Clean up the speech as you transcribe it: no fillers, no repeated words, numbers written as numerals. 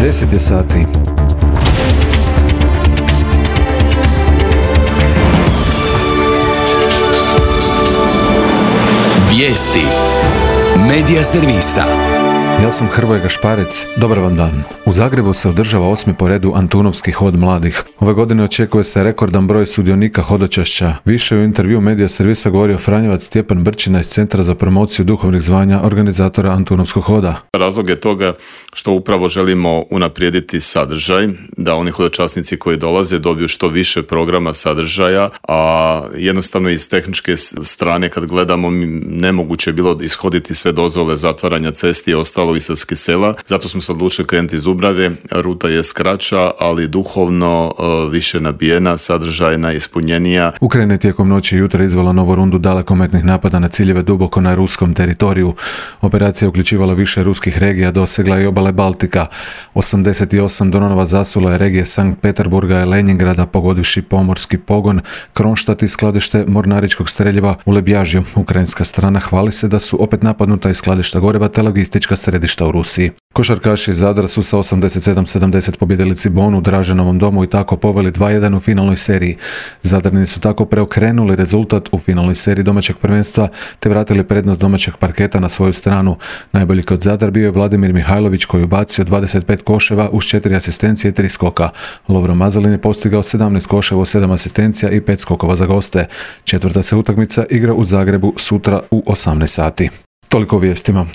10 je sati. Vijesti Medija servisa. Ja sam Hrvoje Gašparec, dobar vam dan. U Zagrebu se održava 8. po redu Antunovski hod mladih. Ove godine očekuje se rekordan broj sudionika hodočašća. Više u intervju Medija servisa govorio Franjevac Stjepan Brčina iz Centra za promociju duhovnih zvanja organizatora Antunovskog hoda. Razlog je toga što upravo želimo unaprijediti sadržaj, da oni hodočasnici koji dolaze dobiju što više programa sadržaja, a jednostavno iz tehničke strane kad gledamo nemoguće je bilo ishoditi sve dozvole zatvaranja cesti i ostalo Istarskih sela. Zato smo se odlučili krenuti iz Dubrave. Ruta je skraća, ali duhovno više nabijena, sadržajna, ispunjenija. Ukrajina je tijekom noći i jutra izvela novu rundu dalekometnih napada na ciljeve duboko na ruskom teritoriju. Operacija uključivala više ruskih regija, dosegla i obale Baltika. 88 dronova zasula je regije Sankt Peterburga i Leningrada, pogodivši pomorski pogon, Kronštat i skladište mornaričkog streljiva u Lebjažju. Ukrajinska strana hvali se da su opet napadnuta iz skladišta goriva te logistička središta u Rusiji. Košarkaši iz Zadra su sa 87-70 pobijedili Cibonu u Draženovom domu i tako poveli 2-1 u finalnoj seriji. Zadrni su tako preokrenuli rezultat u finalnoj seriji domaćeg prvenstva te vratili prednost domaćeg parketa na svoju stranu. Najbolji kod Zadar bio je Vladimir Mihajlović koji ubacio 25 koševa uz 4 asistencije i 3 skoka. Lovro Mazalin je postigao 17 koševa, 7 asistencija i 5 skokova za goste. Četvrta se utakmica igra u Zagrebu sutra u 18 sati. Toliko o vijestima.